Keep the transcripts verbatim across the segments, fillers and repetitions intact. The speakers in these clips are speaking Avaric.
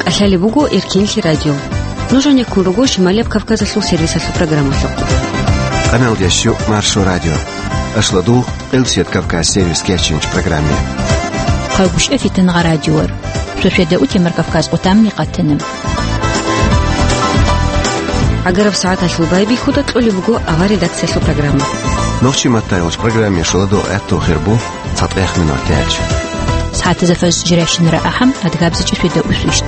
Лъалеб буго Эркинлъи радио. Нуж гьанеккун руго Шималияб Кавказалъул сервисалъул программалъухъ. Къаналдящу Маршо радио. Ашладул Къилсият Кавказ сервис кечинч программе. Хъалгушев Фитангъа радиор. Шошеда утемар Кавказ къутамни къатанам. Агараб сагӀаталъул байбихьуда кьолеб буго ава редакциялъул программа. Нохчи маттайолч программе шуладо гӀатту хирбу. ЦатӀех минутач. Сагьатазафаз жиращинара ахӀам, адгабзичӀи фида усвищт.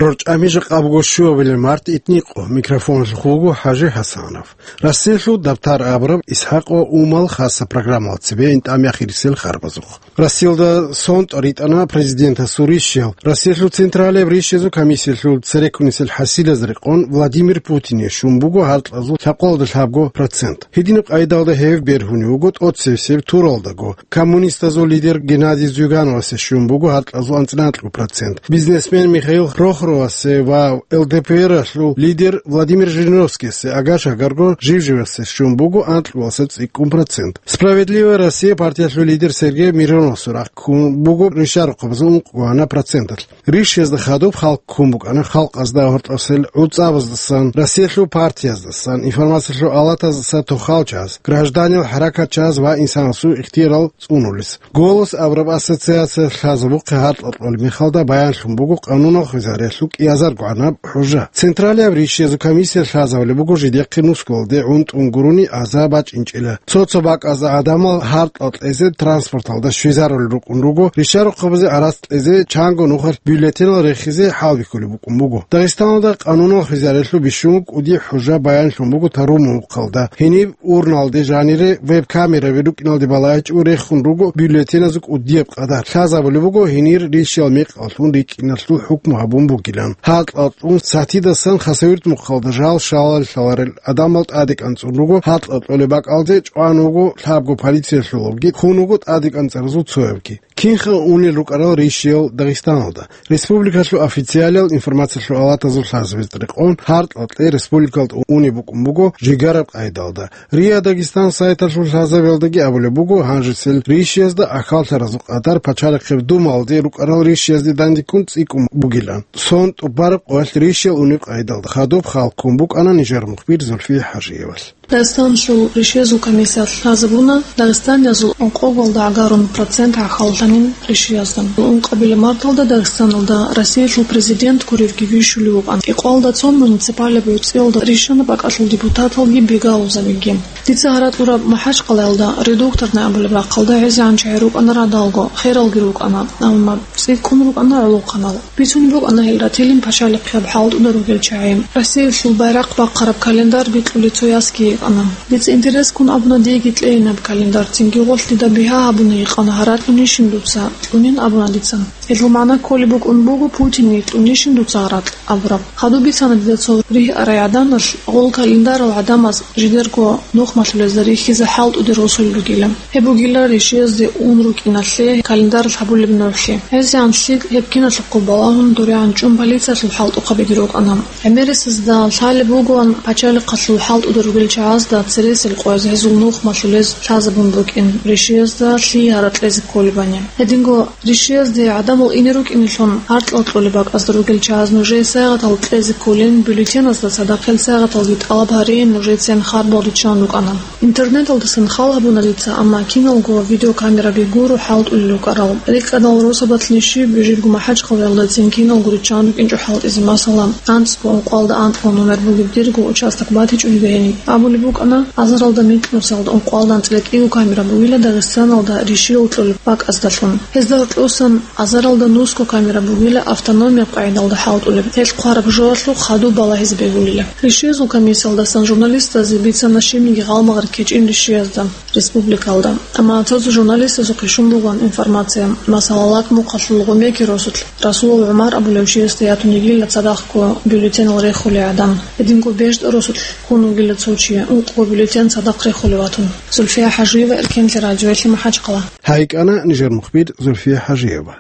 РорчӀами жакъа буго щуабилеб март итникъо, микрофоналъухъ вуго ХӀажи ХӀасанов. Россиялъул дабтар абураб ИсхӀакъ ва Умал хаса программала цебе интӀам яхирисел харбазухъ. Россиялда сонтӀ ритӀана президентасул рищал. Россиялъул централияб рищезул комиссиялъул цереккунисел хӀасилаз рекъон Владимир Путине щун буго гьаркьазул лъабкъоялда лъабго процент. Гьединаб къайдалда гьев бергьунев вуго тӀоцебесеб туралдаго, коммунистазул лидер Геннадий Зюгановасе щун буго гьаркьазул анцӀила анкьго процент, бизнесмен Михаил Прохоровасе ва ЛДПР-алъул лидер Владимир Жириновскийасе агар-шагарго жив-живасе щун буго анкьго цӀикӀкӀун процент. «Справедливая Россия» партиялъул лидер Сергей Мироновасул рахъ ккун буго рищарухъабазул ункъго гьанаб проценталъ. Рищезда хадуб халкъ ккун букӀана халкъазда гьоркьосел гӀуцӀабаздасан, Россиялъул партияздасан, информациялъул алатаздаса тохал чагӀаз, гражданиял хӀаракатчагӀаз ва инсанасул ихтиярал цӀунулес. «Голос» абураб ассоциация лъазабухъе гьаркьа кьолеб мехалда баянлъун буго къанунал хвезариялъул кӀиазарго гӀанаб хӀужа. Централияб рищезул комиссия лъазабулеб буго жидехъе нусгоялде гӀунтӀун гурони аза бачӀинчӀила. Цо-цо бакӀазда гӀадамал гьаркьа кьезе транспорталда щвезарулел рукӀун руго, рищарухъабазе арас кьезе, чанго нухалъ бюллетенал рехизе хӀалбихьулеб букӀун буго. Дагъистаналда къанунал хвезариялъул бищун кӀуди хӀужа баянлъун буго Тарумухъалда. Гьениб урналде жанире веб-камераби рукӀиналде балагьичӀого рехун руго бюллетеназул кӀудияб къадар. Лъазабулеб буго гьенир рищал мекъаллъун рикӀкӀиналъул хӀукму гьабун бугилан. Гьаркьа кьун сатидасан Хасавюрт мухъалда жал шалал лъаларел гӀадамал тӀаде кӀанцӀун руго, гьаркьа кьолеб бакӀалде чӀван вуго лъабго полициялъулабги, хун вуго тӀаде кӀанцӀаразул цоябги. Кинха унел рукӀарал рищиял Дагъистаналда? Республикалъул официалиял информациялъул алатазул лъазабизе рекъон гьаркьа кьей республикалда унеб букӀун буго жигараб къайдалда. РИА Дагестан сайталъул лъазабиялдаги абулеб буго, гьанжесел рищиязда ахьаллъаразул къадар Пачалихъеб Думалде рукӀарал рищиязде дандеккун цӀикӀкӀун бугилан. Сон тӀубараб къоялъ рищиял унеб къайдалда хадуб халкъ ккун букӀана нижер мухбир Зульфия ХӀажиевалъ. Дагъистаналъул рищиязул комиссиялъ лъазабуна, дагъистаниязул ункъоялда гӀагарун процент гӀахьаллъанин рищиязда. Ункъабилеб марталда Дагъистаналда Россиялъул президент гуревги вищулев вукӀан. Кьикъоялда цо муниципалияб гӀуцӀиялда рищана бакӀалъул депутаталги бигал озабиги. Дица гьаратӀураб МахӀачкъалаялда Редукторный абулеб рахъалда гӀезегӀан чагӀи рукӀана радалго, хералги рукӀана, амма цӀикӀкӀун рукӀана гӀолохъанал. Бицунеб букӀана гьел ратилин пачалихъияб хӀалтӀуда ругел чагӀи. Россиялъул байрахъ бахъараб календарь бикьулей цо ясги йикъана. Дица интерес ккун абуна диеги кьейин гьаб календарь, цинги гъолъ дида бигьа гьабуна йикъана гьаратӀунищин дуца, кьунин абуна дица. Гьелъул магӀна кколеб букӀун буго Путинги кьунищин дуца гьаратӀ абураб. Хадуб бицана дида цо ригь арай гӀаданалъ, гъол календарал гӀадамаз жидерго нухмалъулезда рихьизе хӀалтӀуде росулел ругила. Гьеб бугила рищиязде ун рукӀиналъе календаралъ гьабулеб нугӀлъи. ГӀезегӀан лъикӀ гьеб киналъухъ балагьун дурегӀан чӀун полициялъул хӀалтӀухъабиги рукӀана. ГӀемерисезда лъалеб бугоан пачалихъалъул хӀалтӀуда ругел чагӀазда цересел къояз гьезул нухмалъулез лъазабун букӀин, рищиязда лъие гьаракь кьезе кколебани. Гьединго рищиязде гӀадамал ине рукӀинелъун гьаркьал кьолеб бакӀазда ругел чагӀаз нужее сайгъатал кьезе кколин, бюллетеназда цадахъ гьел сайгъаталги тӀалаб гьарейин нужецин харбал риччан рукӀана. Интернеталдасан хал гьабуна дица, амма киналго видеокамераби гуро хӀалтӀулел рукӀарал. РикӀкӀадал росабалъни щиб, жибго МахӀачкъалаялдацин киналго риччан рукӀинчӀо хӀалтӀизе, масала, анцӀго ункъоялда анкьго номер бугеб дирго участок батичӀони бегьине. Абулеб букӀана, азаралда микьнусиялда ункъоялда анцӀила кӀиго камера бугила Дагъистаналда рищиял кьолеб бакӀаздалъун. Гьезда гьоркьосан азаралда нусго камера бугила автономияб къагӀидалда хӀалтӀулеб. Гьел хъвараб жоялъухъ хадуб балагьизе бегьулила. Рищиязул комиссиялдасан журналистазе бицана щибниги гъалмагъ рекечӀин рищиязда республикалда. Амма цо-цо журналистазухъе щун бугоан информация, масала, Лакмухъалъул Гъумеки росулъ Расулов ГӀумар абулев чиясда ятун йигила цадахъго бюллетенал рехулей гӀадан. Гьединго БежтӀа росулъ ккун вугила цо чи, ункъго бюллетен цадахъ рехулев ватун. Зульфия ХӀажиева, Эркенлъи радиоялъе, МахӀачкъала. Гьайкана нижер мухбир Зульфия ХӀажиева.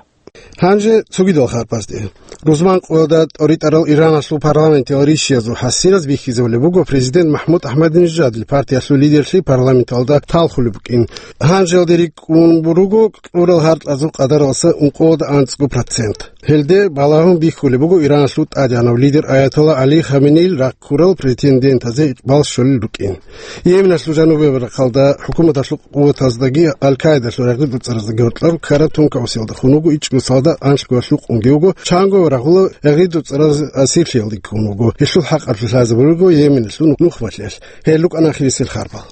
Гьанже цогидал харпасде. Рузман къоялда тӀоритӀарал Ираналъул парламентиял ришиязул хӀасилаз бихьизабулеб буго президент МахӀмуд АхӀмадинежадил партиялъул лидерлъи парламенталда талхулеб букӀин. Гьанжеялде рикӀкӀун буруго кьурал гьаркьазул къадаралъа ункъоялда анцӀго процент. Гьелде балагьун бихьулеб буго Ираналъул тӀадегӀанав лидер Аятолла ГӀали Хаменеил раккурал претендентазе икъбал щолел рукӀин. Йеменалъул жанубияб рахъалда хӀукуматалъул къуватаздаги Аль-Каидалъул рагъидацӀараздаги гьоркьор ккараб тункаусиялда хун вуго ичӀго салдат анлъго лъукъунги вуго, чанго рагъула рагъидацӀараз асирлъиялде ккун вуго. Гьелъул хӀакъалъулъ лъазабулего Йеменалъул нухмалъиялъ. Гьел рукӀана ахирисел харпал.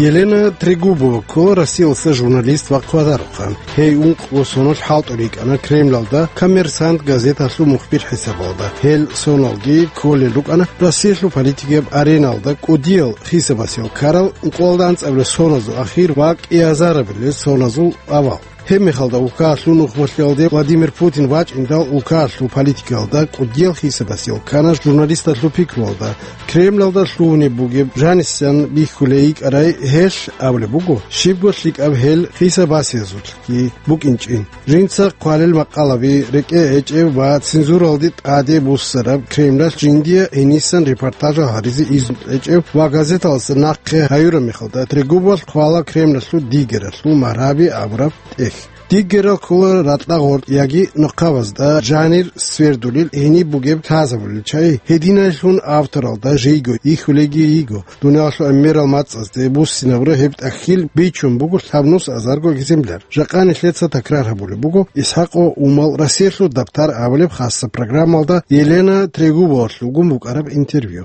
Елена Трегубова ккола Россиялдаса журналист ва хъвадарухъан. Гьей ункъго соналъ хӀалтӀулев йикӀана Кремлалда «Коммерсант» газеталъул мухбир хӀисабалда. Гьел соналги кколел рукӀана Россиялъул политикияб ареналда кӀудиял хисабасел ккарал ункъоялда анцӀабилеб соназул ахир ва кӀиазарабилеб соназул авал. Гьеб мехалда улкаялъул нухмалъиялде Владимир Путин вачӀиндал улкаялъул политикаялда кӀудиял хисабасел ккана журналисталъул пикруялда. Кремлалда лъугьунеб бугеб жанисан бихьулей йикӀарай гьелъ абулеб буго, щибго лъикӀаб гьел хисабасиязулъги букӀинчӀин. Жинца хъвалел макъалаби рекӀее гьечӀеб ва цензуралде тӀаде буссараб Кремлалъ жиндие гьенисан репортажал гьаризе изну гьечӀеб ва газеталъ нахъе гьаюраб мехалда Трегубовалъ хъвала Кремлалъул дигералъул магьараби абураб тӀехь. Дигерал ккола ракьа-гъоркь яги нахъабазда жанир свердулел, гьениб бугеб лъазабулел чагӀи, гьединайлъун авторалда жийго, йихьулейги йиго. Дуниялалъул гӀемерал мацӀазде буссинабураб гьеб тӀахьил бичун буго лъабнус азарго экземпляр. Жакъа нилъеца такрар гьабулеб буго ИсхӀакъ ва Умал Россиялъул дабтар абулеб хасаб программалда Елена Трегубовалъ вугун букӀараб интервью.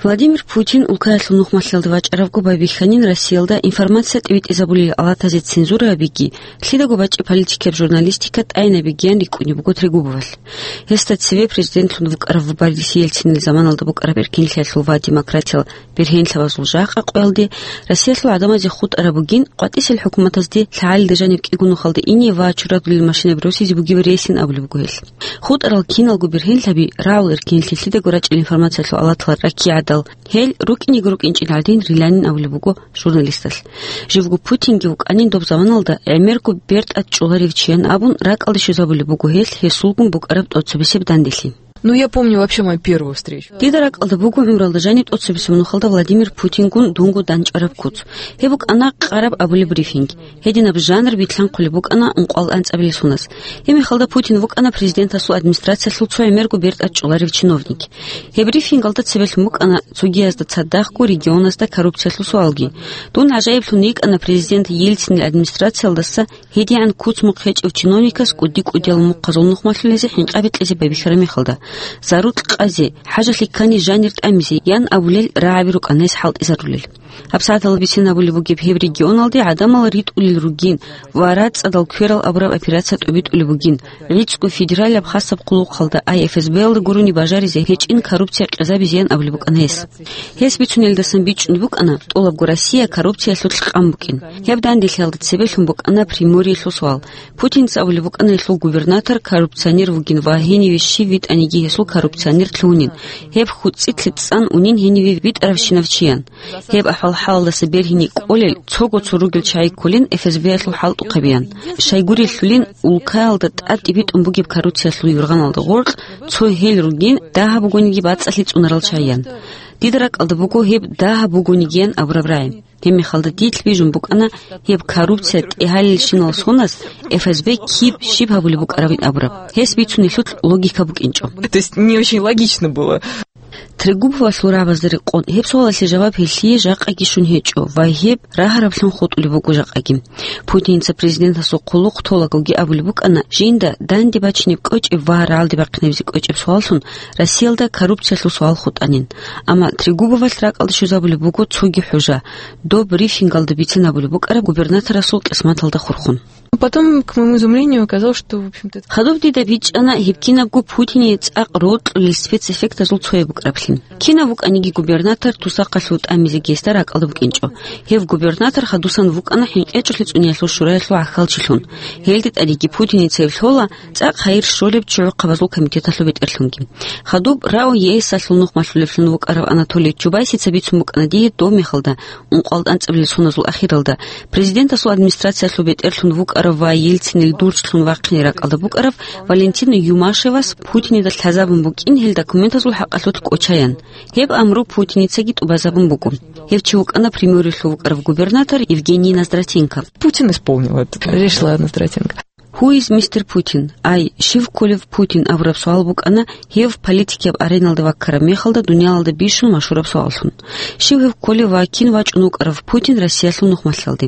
Владимир Путин улкаялъул нухмалъиялда вачӀарабго байбихьанин Россиялда информация тӀибитӀизабулел алатазе цензура гьабиги, лъидаго бачӀи политикияб журналистика тӀайинабигиян рикӀкӀунеб буго Трегубовалъ. Гьесда цеве президентлъун вукӀарав Борис Ельцинил заманалда букӀараб эркинлъиялъул ва демократиял бергьенлъабазул жакъа къоялде Россиялъул гӀадамазе хутӀараб бугин, къватӀисел хӀукуматазде лъагӀалида жаниб кӀиго нухалда ине ва чурадулел машинаби росизе бугеб рейсин абулеб буго гьелъ. ХутӀарал киналго бергьенлъаби, рагӀул эркинлъи, лъидаго рачӀел информациялъул алатал раккигӀадал, гьел рукӀинего рукӀинчӀел гӀадин риланин абулеб буго журналисталъ. Живго Путинги вукӀанин доб заманалда гӀемерго бертӀад чӀоларев чиян абун ракӀалде щвезабулеб буго гьелъ гьесулгун букӀараб тӀоцебесеб данделъи. Ну, я помню вообще мою первую встречу. Дида ракӀалда буго гӀумралда жаниб тӀоцебесеб нухалда Владимир Путингун дунго данчӀараб куц. Гьеб букӀана къараб абулеб брифинг. Гьединаб жанр битлъанхъулеб букӀана ункъоялда анцӀабилеб соназ. Гьеб мехалда Путин вукӀана президентасул администрациялъул цо гӀемерго бертӀад чӀоларев чиновник. Гьеб брифингалда цебелъун букӀана цогиязда цадахъго регионазда коррупциялъул суалги. Дун гӀажаиблъун йикӀана президент Ельцинил администрациялдаса гьедигӀан куц-мухъ гьечӀев чиновникас кӀуди-кӀудиял мухъазул нухмалъулезе хӀинкъи кьезе байбихьараб мехалда. Зарукь къазе, хӀажалъи ккани жанир тӀамизе, ян абулел рагӀаби рукӀана гьес хӀалтӀизарулел. ГьабсагӀаталда бицен абулеб бугеб гьеб регионалде гӀадамал ритӀулел ругин ва рацӀцӀадал кверал абураб операция тӀобитӀулеб бугин, гӀицӀго федералияб хасаб хъулухъалда, ай эф эс б-ялда гурони бажаризе гьечӀин коррупция къезабизеян абулеб букӀана гьес. Гьес бицунелдасан бичӀчӀун букӀана, тӀолабго Россия коррупциялъулъ къан букӀин. Гьеб данделъиялда цебелъун букӀана Приморьелъул суал. Путинца абулеб букӀана гьелъул губернатор коррупционер вугин ва гьениве щив витӀаниги гьесул коррупционер лъугьунин, гьеб хьуцӀилъе цӀан унин гьениве витӀаравщинав чиян. Гьеб ахӀвал-хӀалалдаса бергьине кӀолел, цого цо ругел чагӀи кколин эф эс б-ялъул хӀалтӀухъабиян. Щайгурелъулин, улкаялда тӀад тӀибитӀун бугеб коррупциялъул юргъаналда гъоркь цо гьел ругин, дагьаб бугониги бацӀцӀалъи цӀунарал чагӀиян. Дида ракӀалда буго гьеб дагьаб бугонигиян абураб рагӀи. Гьеб мехалда дилъ бижун букӀана гьеб коррупция тӀегьалелщинал соназ эф эс б киб щиб гьабулеб букӀарабин абураб. Гьес бицунелъулъ логика букӀинчӀо. То есть не очень логично было. Трегубовалъул рагӀабазда рекъон, гьеб суалалъе жаваб гьелъие жакъаги щун гьечӀо ва гьеб рагьараблъун хутӀулеб буго жакъаги. Путинца президентасул хъулухъ толагоги абулеб букӀана, жинда данде бачинеб кӀочӀеб ва рагӀалде бахъинабизе кӀочӀеб суаллъун Россиялда коррупциялъул суал хутӀанин. Амма Трегубовалъ ракӀалде щвезабулеб буго цоги хӀужа, доб брифингалда бицен абулеб букӀараб губернаторасул кьисматалда хурхун. Потом, к моему изумлению, оказалось, что, в общем-то, это... Хадуб дида бичӀчӀана гьеб кинабго Путине цӀакъ рокьулел спецэффектазул цояб букӀараблъи. Кинав вукӀаниги губернатор тусахъалъув тӀамизе гьесда ракӀалда букӀинчӀо. Гьев губернатор хадусан вукӀана ХӀинкъечӀолъи цӀуниялъул шураялъул гӀахьалчилъун. Гьелде тӀадеги Путиница гьеб лъола цӀакъ хайир щолеб чӀухӀухъабазул комитеталъул бетӀерлъунги. Хадуб РАО ЕС-алъул нухмалъулеблъун вукӀарав Анатолий Чубайсица бицун букӀана дие доб мехалда, ункъоялда анцӀабилеб соназул ахиралда, президентасул администрациялъул бетӀерлъун вукӀарав ва Ельцинил дурцлъун вахъине ракӀалда букӀарав Валентин Юмашевас Путинида лъазабун букӀин гьел документазул хӀакъалъулъ кӀочаян. Гьеб амру Путиницаги тӀубазабун буго. Гьев чи вукӀана Приморьелъув вукӀарав губернатор Евгений Ноздратенко. Путин исполнил это, решила Ноздратенко. Who is мистер Путин? Ай, щив кколев Путин абураб суал букӀана гьев политикияб ареналда ваккараб мехалда дуниялалда бищун машгьураб суаллъун. Щив гьев кколев ва кин вачӀун вукӀарав Путин Россиялъул нухмалъалде?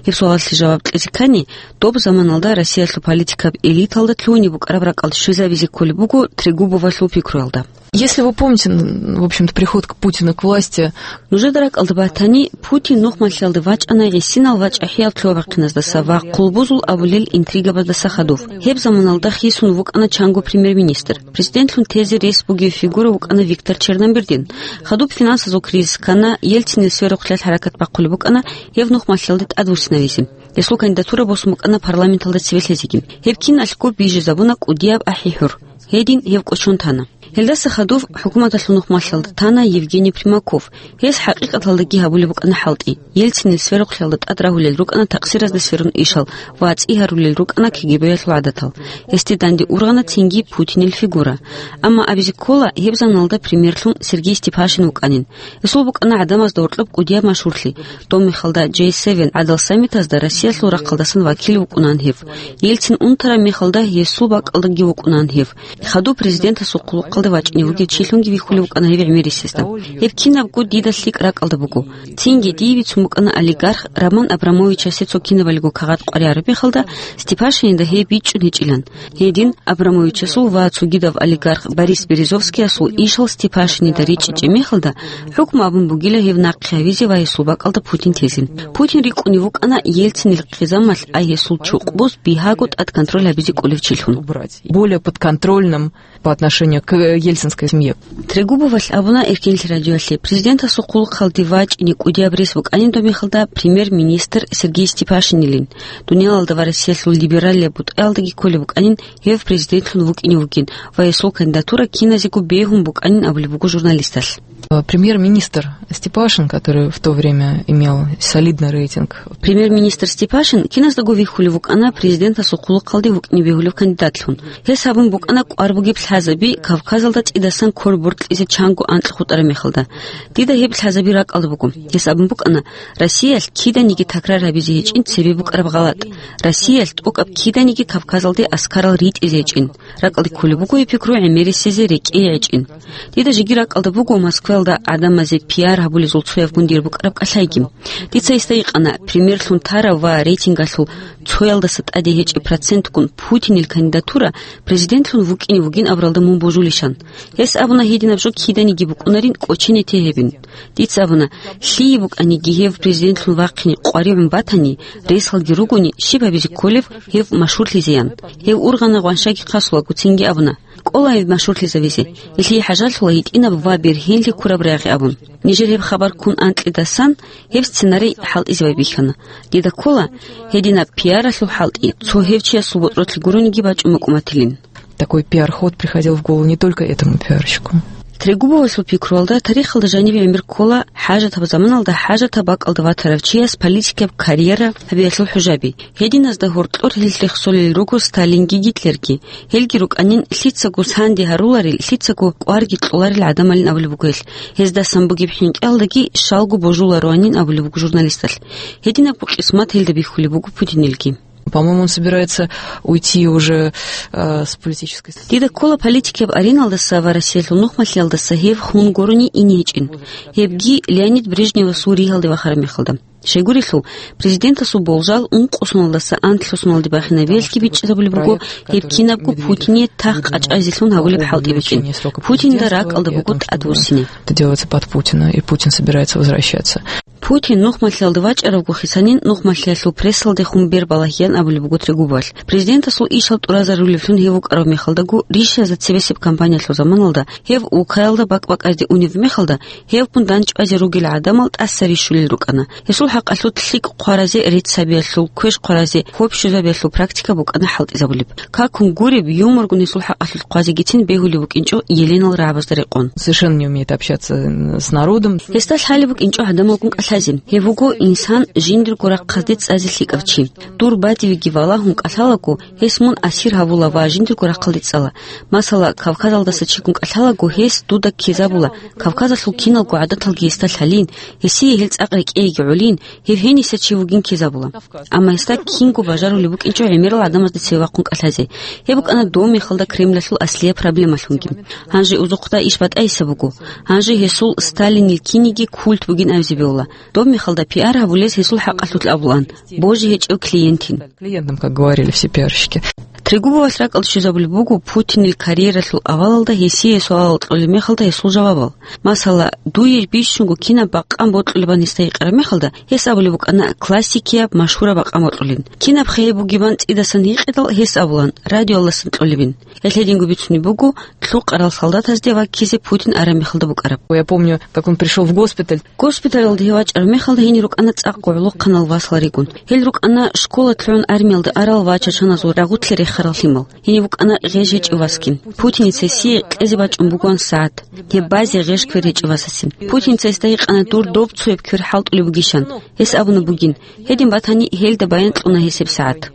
Гьеб суалалъе жаваб кьезе ккани, доб заманалда Россиялъул политикаб элиталда лъугьине букӀараб ракӀалда щвезабизе кколеб буго Трегубовалъул пикруялда. Если вы помните, н-, в общем-то, приход к Путину к власти. Нужеда ракӀалда батани, Путин нухмалъиялда вачӀана гӀисинал вачӀахӀиял лъугьа-бахъиназдаса ва хъулбузул абулел интригабаздаса хадув. Гьеб заманалда хисун вукӀана чанго премьер-министр. Президентлъун тезе рес бугев фигура вукӀана Виктор Черномырдин. Хадуб финансазул кризис ккана, Ельцинил сверухълъиялъ хӀаракат бахъулеб букӀана гьев нухмалъиялде тӀадвуссинавизе. Гьесул кандидатура босун букӀана парламенталда цеве лъезеги. Гьеб киналъго бижизабуна кӀудияб ахӀи-хӀур. Гьедин гьев кӀочон тана. Гьелдаса хадув хӀукуматалъул нухмалъалда тана Евгений Примаков. Гьес хӀакъикъаталдаги гьабулеб букӀана хӀалтӀи. Ельцинил сверухълъиялда тӀад рагьулел рукӀана такъсиразда сверун ишал ва цӀи гьарулел рукӀана КГБ-ялъул гӀадатал. Гьесде данде ургъана цинги Путинил фигура. Амма абизе ккола, гьеб заманалда премьерлъун Сергей Степашин вукӀанин. Гьесул букӀана гӀадамазда гьоркьоб кӀудияб машгьурлъи. Доб мехалда Джей севен гӀадал саммитазда Россиялъул рахъалдасан вакил вукӀунаан гьев. Ельцин унтараб мехалда гьесул бакӀалдаги вукӀунаан гьев. Хадуб президентасул хъулухъалде вачӀине вугев чилъунги вихьулев вукӀана гьев гӀемерисезда. Гьеб кинабго дида лъикӀ ракӀалда буго. Цинги дие бицун букӀана олигарх Роман Абрамовичасе цо кинабалиго кагъат къваригӀараб мехалда Степашинида гьеб бичӀчӀун гьечӀилан. Гьедин Абрамовичасул ва цогидав олигарх Борис Березовскиясул ишал Степашинида речӀчӀичӀеб мехалда, хӀукму абун бугила гьев нахъе гьавизе ва гьесул бакӀалда Путин тезе. Путин рикӀкӀунев вукӀана Ельцинил хъизамалъ, ай гьесул чукъбуз бигьаго тӀад контроль гьабизе кӀолев чилъун. Убрать. Более подконтрольным по отношению к ельцинской семье. Трегубовалъ абуна Эркенлъи радиоялъе, президентасул хъулухъалде вачӀине кӀудияб рес букӀанин доб мехалда премьер-министр Сергей Степашинилин. Дуниялалда ва Россиялъул либералияб бутӀаялдаги кколеб букӀанин гьев президентлъун вукӀине вугин ва гьесул кандидатура киназего бегьун букӀанин абулеб буго журналисталъ. Э, премьер-министр Степашин, который в то время имел солидный рейтинг. Премьер-министр Степашин киназдаго вихьулев вукӀана президентасул хъулухъалде вукӀине бегьулев кандидатлъун. Гьес гьабун букӀана кӀвар бугеб лъазаби Кавказалда цӀидасан ккол боркьизе чанго анкь хутӀараб мехалда. Дида гьеб лъазаби ракӀалда буго. Гьес абун букӀана, Россиялъ киданиги такрар гьабизе гьечӀин цебе букӀараб гъалатӀ. Россиялъ тӀокӀаб киданиги Кавказалде аскарал ритӀизе гьечӀин. РакӀалде кколеб буго гьеб пикру гӀемерисезе рекӀее гьечӀин. Дида жеги ракӀалда буго Москваялда гӀадамазе пиар гьабулезул цояб гундир букӀараб кӀалъайги. Дица гьесда гьикъана, премьерлъун тарав ва рейтингалъул цоялдаса тӀаде гьечӀеб процентгун Путинил кандидатура президентлъун вукӀине вугин абуралда мун божулищан. Гьес абуна гьединаб жо киданиги букӀунарин кӀочене те гьебин. Дица абуна, лъие букӀаниги гьев президентлъун вахъине къваригӀун батани, ресалги ругони, щиб гьабизе кколев гьев машгьурлъизеян. Гьев ургъана гъваншаги хъасулаго, цинги абуна, кӀола гьев машгьурлъизавизе, гьелъие хӀажалъула гьитӀинаб ва бергьенлъи ккураб рагъи абун. Нижер гьеб хабар ккун анкьидасан, гьеб сценарий хӀалтӀизе байбихьана. Дида ккола, гьединаб пиаралъул хӀалтӀи цо гьев чиясул ботӀролъи гурониги бачӀун букӀун батилин. Такой пиар-ход приходил в голову не только этому пиарщику. Трегубовасул пикруялда тарихалда жанибе гӀемер ккола хӀажатаб заманалда хӀажатаб бакӀалда ватарав чияс политикаб карьера гьабиялъул хӀужаби. Гьединазда гьоркьор гьел рехсолел руго Сталинги Гитлерги. Гьелги рукӀанин лъицаго санде гьаруларел, лъицаго кӀварги кьоларел гӀадамалин абулеб буго гьел. Гьездасан бугеб хӀинкъиялдаги щалго божулароанин абулеб буго журналисталъ. Гьединабго къисмат гьелда бихьулеб буго Путинилги. По-моему, он собирается уйти уже, э, с политической сцены. Дида ккола политикияб ареналдаса ва Россиялъул нухмалъиялдаса гьев хун гурони ине гьечӀин. Гьебги Леонид Брежневасул ригьалде вахараб мехалда. Щайгурелъул, президентасул болжал ункъо соналдаса анлъго соналде бахинаб велги бичӀчӀизабулеб буго, гьеб кинабго Путине тахт къачӀайзелъун гьабулеб хӀалтӀи букӀин. Путинда ракӀалда буго тӀадвуссине. Это делается под Путина, и Путин собирается возвращаться. Путин нухмалъиялда вачӀаравго хисанин нухмалъиялъул прессалдехун бер балагьеян абулеб буго Трегубовалъ. Президентасул ишал тӀуразарулевлъун гьев вукӀарав мехалдаго, ришазда цебесеб кампаниялъул заманалда, гьев улкаялда бакӀ-бакӀазде унеб мехалда, гьевгун дандчӀвазе ругел гӀадамал тӀаса рищулел рукӀана. Гьесул хӀакъалъулъ лъикӀ хъваразе, рецц гьабиялъул, квеш хъваразе, хобщузабиялъул практика букӀана хӀалтӀизабулеб. Какун гуреб, юморгун гьесул хӀакъалъулъ хъвазегицин бегьулеб букӀинчӀо Еленал рагӀабазда рекъон. Совершенно не умеет общаться с народом. Гьесда лъалеб букӀинчӀо гӀадамалгун кӀалъазе. Гьев вуго инсан жиндирго рахъазде цӀазе лъикӀав чи. Дур бадивеги валагьун кӀалъалаго, гьес мун асир гьавула ва жиндирго рахъалде цӀала. Масала, Кавказалдаса чигун кӀалъалаго, гьес дуда ккезабула, Кавказалъул киналго гӀадаталги гьесда лъалин, гьесие гьел цӀакъ рекӀееги гӀолин, гьев гьениса чи вугин ккезабула. Амма гьесда кинго бажарулеб букӀинчӀо гӀемерал гӀадамазда цеве вахъун кӀалъазе. Гьеб букӀана дов мехалда Кремлалъул аслияб проблемалъунги. Гьанже узухъда иш батӀайса буго. Гьанже гьесул Сталинил киниги культ бугин абизе бегьула. Доб мехалда пиар гьабулез гьесул хӀакъалъулъ абулаан, божи гьечӀев клиентин. Клиентам, как говорили все пиарщики. Трегубовалъ ракӀалде щвезабулеб буго Путинил карьералъул авалалда гьесие суалал кьолеб мехалда гьесул жавабал. Масала, дуе бищунго кинаб бакъан бокьулебан гьесда гьикъараб мехалда, гьес абулеб букӀана классикияб машгьураб бакъан бокьулин. Кинаб хъе гьеб бугебан цӀидасан гьикъидал, гьес абулан, радиоялдасан кьолебин. Гьелъ гьединго бицунеб буго, лъукъарал солдатазде ваккизе Путин араб мехалда букӀараб. Я помню, как он пришёл в госпиталь. Госпиталалда гьев вачӀараб мехалда гьенир рукӀана цӀакъ гӀолохъанал васал ригун. Гьел рукӀана школа лъугӀун армиялда арал ва чачаназул рагъулъе рехарал лъимал. Гьенив вукӀана гъеж гьечӀев васгин. Путиница гьесие кьезе бачӀун бугоан сагӀат. Гьеб базе гъеж квер гьечӀев васасин. Путиница гьесда гьикъана дур доб цояб квер хӀалтӀулеб бугищан. Гьес абуна бугин, гьедин батани, гьелда баян кьуна гьесеб сагӀат.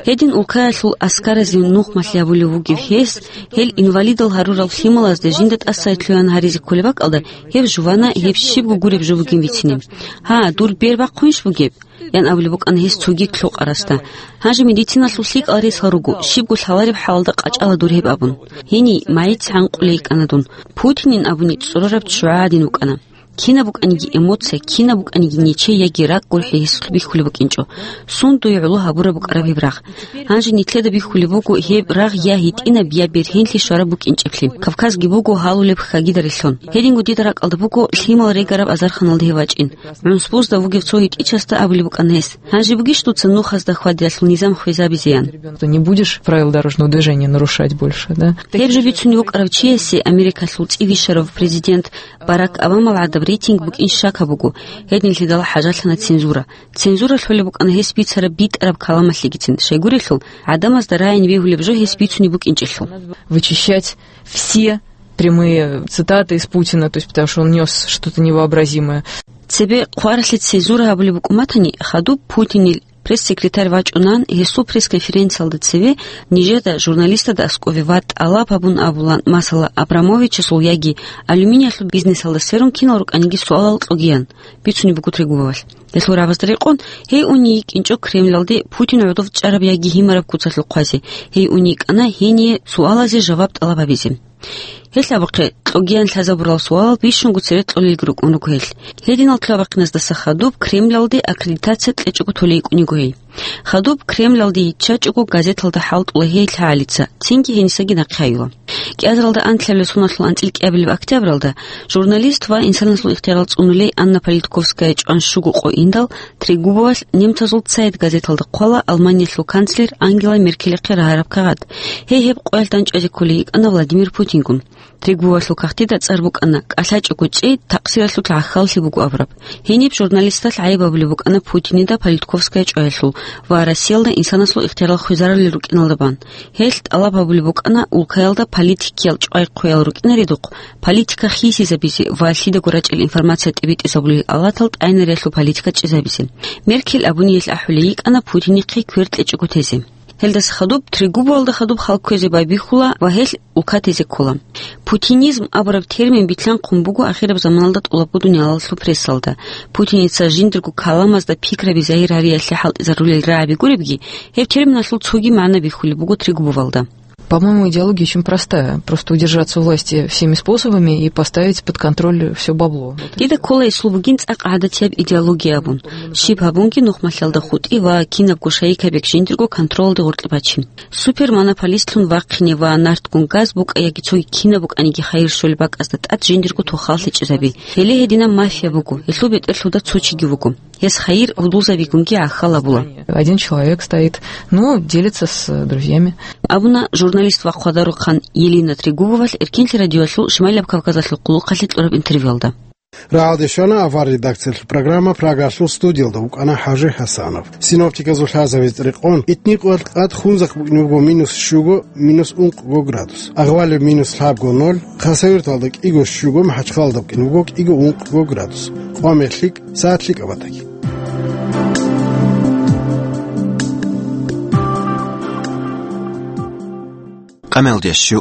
Гьедин улкаялъул аскаразе нухмалъи гьабулев вугев гьес, гьел инвалидал гьарурал лъималазда жинда тӀасай лъугьан гьаризе кколеб бакӀалда, гьев жувана, гьеб щибго гуреб жо бугин бицине. Гьа, дур бер бахъунищ бугеб? Ян абулеб букӀана гьес цоги лъукъарасда. Гьанже медициналъул лъикӀал ресал руго, щибго лъалареб хӀалалда къачӀала дур гьеб абун. Гьенив, магӀица гӀанкъулей йикӀана дун. Путинин абуни цӀурараб ччугӀа гӀадин вукӀана. Кинаб букӀаниги эмоция, кинаб букӀаниги нечей яги ракӀ гурхӀи гьесулъ бихьулеб букӀинчӀо. Сундуе гӀоло гьабураб букӀараб гьеб рагъ. Гьанже нилъеда бихьулеб буго гьеб рагъ я гьитӀинаб, я бергьенлъи щвараб букӀинчӀеблъи. Кавказги буго гьалулеб хьагида релълъун. Гьединго дида ракӀалда буго лъимал регараб азарханалда гьев вачӀин. ГӀунсбузда вугев цо гьитӀичасда абулеб букӀана гьес: «Гьанже бугищ дуца нухазда хьвадиялъул низам хвезабизе?» — ян. Ты не будешь правила дорожного движения нарушать больше, да? Гьеб жо бицунев вукӀарав чиясе Америкалъул цӀи вищарав президент Барак Обамал гӀадаб рейтинг букӀин щака буго, гьединлъидал хӀажалъана цензура. Цензура лъолеб букӀана гьес бицараб битӀараб каламалъегицин, щайгурелъул, гӀадамазда рагӀин бегьулеб жо гьес бицунеб букӀинчӀелъул. Вычищать все прямые цитаты из Путина, то есть потому что он нёс что-то невообразимое. Цебе хъваралъе цензура гьабулеб букӀун батани, хадуб Путинил пресс-секретарь вачӀунан, гьесул пресс-конференциялда цеве нижеда журналистазда аскӀове ва тӀалаб гьабун абулан, масала, Абрамовичасул яги алюминиялъул бизнесалда сверун кинал рукӀаниги суалал кьогиян, бицунеб буго Трегубовалъ. Гьелъул рагӀабазда рекъон, гьей уней йикӀинчӀо Кремлалде Путин гӀодов чӀараб яги гьимараб куцалъул хъвазе, гьей уней йикӀана гьение суалазе жаваб тӀалаб гьабизе. Гьелъ абухъе, кьогиян лъазабурал суалал бищунго цере кьолелги рукӀун руго гьелъ. Гьединал лъабахъиназдаса хадуб Кремлалде аккредитация кьечӀого толей йикӀун йиго гьей. Хадуб Кремлалде йиччачӀого газеталда хӀалтӀула гьей лъагӀалица, цинги гьенисаги нахъе гьаюла. КӀиазаралда анлъабилеб соналъул анцӀил кӀиабилеб октябралда журналист ва инсанасул ихтиярал цӀунулей Анна Политковская чӀван щуго къо индал, Трегубовалъ немцазул Цайт газеталда хъвала Алманиялъул канцлер Ангела Меркелихъе рагьараб кагъат. Гьей гьеб къоялъ дандчӀвазе кколей йикӀана Владимир Путингун. Трегубовалъул кагътида цӀар букӀана: «КӀалъачӀого чӀей, такъсиралъулъ гӀахьаллъи буго», — абураб. Гьениб журналисталъ гӀайиб абулеб букӀана Путинида Политковская чӀваялъул ва Россиялда инсанасул ихтиярал хвезарулел рукӀиналда бан. Гьелъ тӀалаб гьабулеб букӀана улкаялда политикиял чӀвай-хъвеял рукӀинаредухъ, политика хисизабизе ва лъидаго рачӀел информация тӀибитӀизабулел алатал тӀайнариялъул политика чӀезабизе. Меркель абуни гьелъ ахӀулей йикӀана Путинихъе квер кьечӀого тезе. Гьелдаса хадуб Трегубовалда хадуб хал кквезе байбихьула ва гьелъ улка тезе ккола. Путинизм абураб термин билълъанхъун буго ахираб заманалда тӀолабго дуниялалъул прессалда. Путиница жиндирго каламазда пикраби загьир гьариялъе хӀалтӀизарулел рагӀаби гуребги, гьеб терминалъул цоги магӀна бихьулеб буго Трегубовалда. По-моему, идеология очень простая. Просто удержаться у власти всеми способами и поставить под контроль все бабло. Дида ккола гьесул бугин цӀакъ гӀадатияб идеология абун. Щиб гьабунги нухмалъалда хутӀи ва кинабго шайикаб бек жиндирго контролалде гъоркье бачин. Супермонополистлъун вахъине ва нартгун газ букӀа яги цоги кинаб букӀаниги хайир щолеб бакӀазда тӀад жиндирго тохал лъечӀезаби. Гьеле гьединаб мафия буго, гьелъул бетӀерлъуда цо чиги вуго. Гьес хайир гьудулзабигунги гӀахьал абула. Один человек стоит, ну, делится с друзьями. Абуна журналист ва хъвадарухъан Елена Трегубовалъ Эркинлъи радиоялъул Шимайлаб Кавказалъул къулухъалъе кьураб интервьюялда. Рагьалде щвана авар редакциялъул программа, Прагалъул студиялда вукӀана ХӀажи ХӀасанов. Синоптиказул лъазабизе рекъон, итникъоялъ къад Хунзахъ букӀине буго минус щуго, минус ункъго градус, Агъвалиб минус лъабго, ноль, Хасавюрталда кӀиго щуго, МахӀачхъалада букӀине буго кӀиго ункъго градус, къвамер лъикӀ, сагӀат лъикӀаб батаги. Къамел деш